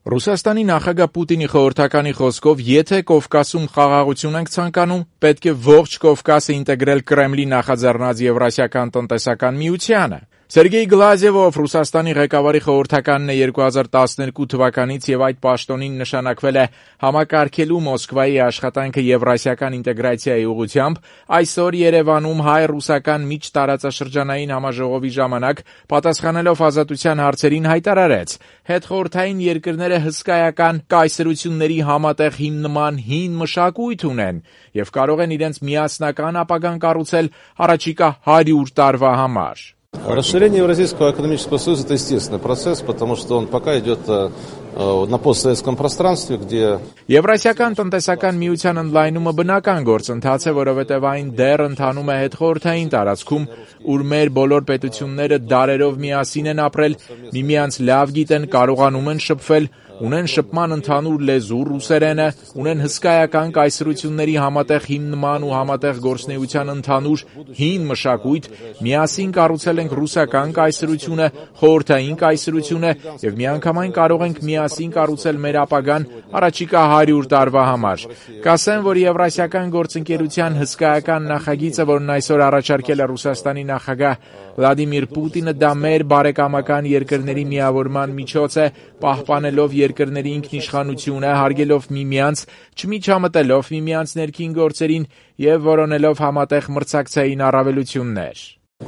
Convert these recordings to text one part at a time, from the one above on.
Ռուսաստանի նախագահ Պուտինի խորհրդականի խոսքով, եթե Կովկասում խաղաղություն ենք ցանկանում, պետք է ողջ Կովկասը ինտեգրել Կրեմլի նախաձեռնած Եվրասիական տնտեսական միությանը։ Սերգեյ Գլազևով Ռուսաստանի ղեկավարի խորհրդականն է 2012 թվականից եւ այդ պաշտոնին նշանակվել է համակարգելու Մոսկվայի աշխատանքը Եվրասիական ինտեգրացիայի ուղղությամբ, այսօր Երևանում հայ-ռուսական միջտարածաշրջանային համաժողովի ժամանակ պատասխանելով ազատության հարցերին հայտարարեց. հետխորհրդային երկրները հսկայական կայսրությունների համատեղ հիմնման հին մշակույթ ունեն եւ կարող են իրենց միասնական ապագան կառուցել առաջիկա 100 տարվա համար։ Расширение Евразийского экономического союза – это естественный процесс, потому что он пока идет на постсоветском пространстве, где... Եվրասիական տնտեսական միության ընդլայնումը բնական գործընթաց է, որովհետև այն դեռ ընթանում է հետխորհրդային տարածքում, ուր մեր բոլոր պետությունները դարերով միասին են ապրել, միմյանց լավ գիտեն, կարողանում են շփվել, ունեն շփման ընդհանուր լեզու ռուսերենը, ունեն հսկայական կայսրությունների համատեղ հիմնման ու համատեղ գործունեության ընդհանուր հին մշակույթ, միասին կառուցել ենք ռուսական կայսրությունը, խորհրդային կայսրությունը եւ միանգամայն կարող ենք միասին կառուցել մեր ապագան առաջիկա 100 տարվա համար։ Կասեմ, որ Եվրասիական գործընկերության հսկայական նախագիծը, որն այսօր առաջարկել է Ռուսաստանի նախագահ Վլադիմիր Պուտինը, դա մեր բարեկամական երկրների միավորման միջոց է, պահպանելով երկրների ինքնիշխանությունը, հարգելով միմյանց, չմիջամտելով միմյանց ներքին գործերին եւ որոնելով համատեղ մրցակցային առավելություններ։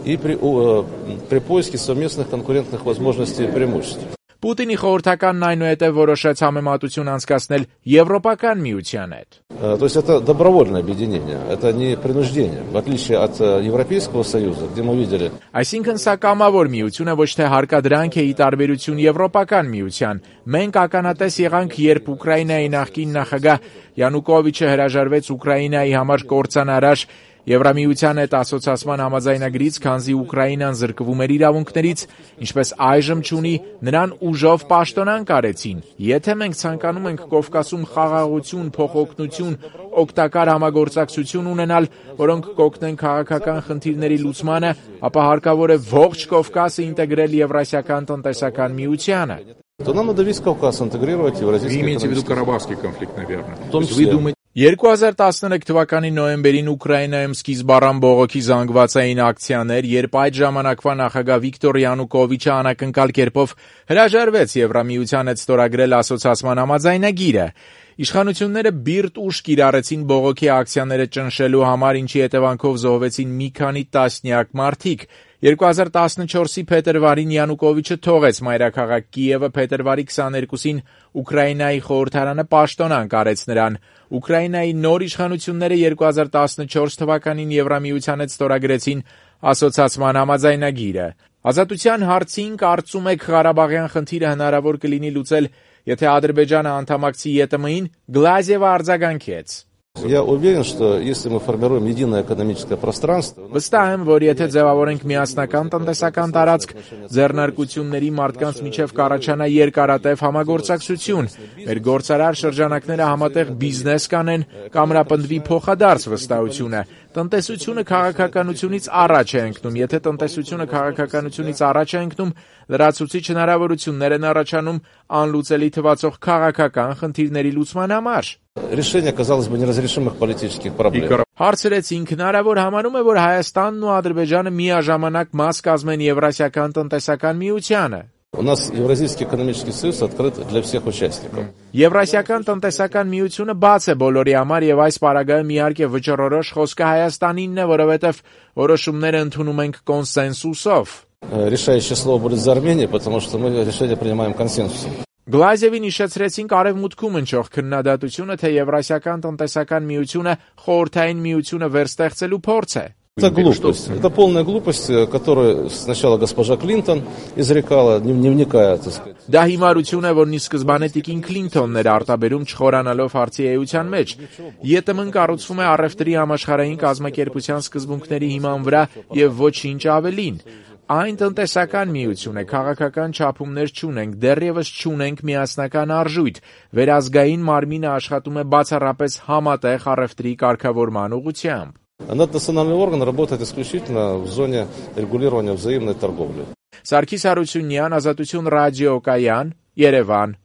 И при поиске совместных конкурентных возможностей и преимуществ. Պուտինի խորհրդականն այնուհետև որոշեց համեմատություն անցկացնել Եվրոպական միության հետ։ То есть это добровольное объединение, это не принуждение, в отличие от Европейского союза, где мы видели. Այսինքն սա կամավոր միություն է, ոչ թե հարկադրանք է ի տարբերություն Եվրոպական միության։ Մենք ականատես եղանք, երբ Ուկրաինայի նախկին նախագահ Յանուկովիչը հրաժարվեց Ուկրաինայի համար կործանարար Եվրամիության հետ ասոցիացման համաձայնագրից, քանզի Ուկրաինան զրկվում էր իրավունքներից, ինչպես այժմ չունի, նրան ուժով պաշտոնանկ արեցին։ Եթե մենք ցանկանում ենք Կովկասում խաղաղություն, փոխօգնություն, օգտակար համագործակցություն ունենալ, որոնք կօգնեն քաղաքական խնդիրների լուծմանը, ապա հարկավոր է ողջ Կովկասը ինտեգրել Եվրասիական տնտեսական միությանը։ То нам надо весь Кавказ интегрировать в Евразийский экономический союз. Карабахский конфликт, наверное. В том числе. 2013 թվականի նոյեմբերին Ուկրաինայում սկիզբ առան բողոքի զանգվածային ակցիաներ, երբ այդ ժամանակվա նախագահ Վիկտոր Յանուկովիչը անակնկալ կերպով հրաժարվեց Եվրամիության հետ ստորագրել ասոցիացման համաձայնագիրը։ Իշխանությունները բիրտ ուժ կիրառեցին բողոքի ակցիաները ճնշելու համար, ինչի հետևանքով զոհվեցին մի քանի տասնյակ մարդիկ։ 2014-ի փետրվարին Յանուկովիչը թողեց մայրաքաղաք Կիևը, փետրվարի 22-ին Ուկրաինայի խորհրդարանը պաշտոնանկ արեց նրան։ Ուկրաինայի նոր իշխանությունները 2014 թվականին Եվրամիության հետ ստորագրեցին ասոցիացման համաձայնագիրը։ Ազատության հարցին կարծում եք Ղարաբաղյան խնդիրը հնարավոր կլինի լուծել, եթե Ադրբեջանը անդամակցի ԵՏՄ-ին, Գլազևը արձագանքեց։ Я уверен, что если мы формируем единое экономическое пространство... Վստահ եմ, որ եթե ձևավորենք միասնական տնտեսական տարածք, ձեռնարկությունների մարդկանց միջև կառաջանա երկարատև համագործակցություն, մեր գործարար շրջանակները համատեղ բիզնես կանեն, կամրապնդվի փոխադարձ վստահությունը։ Տնտեսությունը քաղաքականությունից առաջ է ընկնում, եթե տնտեսությունը քաղաքականությունից առաջ է ընկնում, լրացուցիչ հնարավորություններ են առաջանում անլուծելի թվացող քաղաքական խնդիրների լուծման համար։ Решение, казалось бы, неразрешимых политических проблем. Հարցրեցինք, հնարավոր համարում է, որ Հայաստանն ու Ադրբեջանը միաժամանակ մաս կազմեն Եվրասիական տնտեսական միությանը։ У нас Евразийский экономический союз открыт для всех участников. Եվրասիական տնտեսական միությունը բաց է բոլորի համար եւ այս պարագայում իհարկե վճռորոշ խոսքը Հայաստանինն է, որովհետեւ որոշումները ընդունում ենք կոնսենսուսով։ Решающее слово будет за Арменией, потому что мы решение принимаем консенсусом. Գլազևին իշեցրեցին արևմուտքում ընչող քննադատությունը, թե Եվրասիական տնտեսական միությունը խորհրդային միությունը վերստեղծելու փորձ է։ Это глупость. Это полная глупость, которую сначала госпожа Клинтон изрекала, не вникая, так сказать. Դա հիմարություն է, որն ի սկզբանե տիկին Քլինթոնն էր արտաբերում չխորանալով հարցի էության մեջ։ ԵՏՄ-ն կառուցվում է առևտրի համաշխարհային կազմակերպության սկզբունքների հիման վրա եւ ոչինչ ավելին։ Այն տնտեսական միություն է, քաղաքական չափումներ չունենք, դեռևս չունենք միասնական արժույթ։ Վերազգային մարմինը աշխատում է բացառապես համատեղ առևտրի կարգավորման ուղղությամբ։ Наднациональный орган работает исключительно в зоне регулирования взаимной торговли. Սարգիս Հարությունյան, Ազատություն ռադիոկայան, Երևան։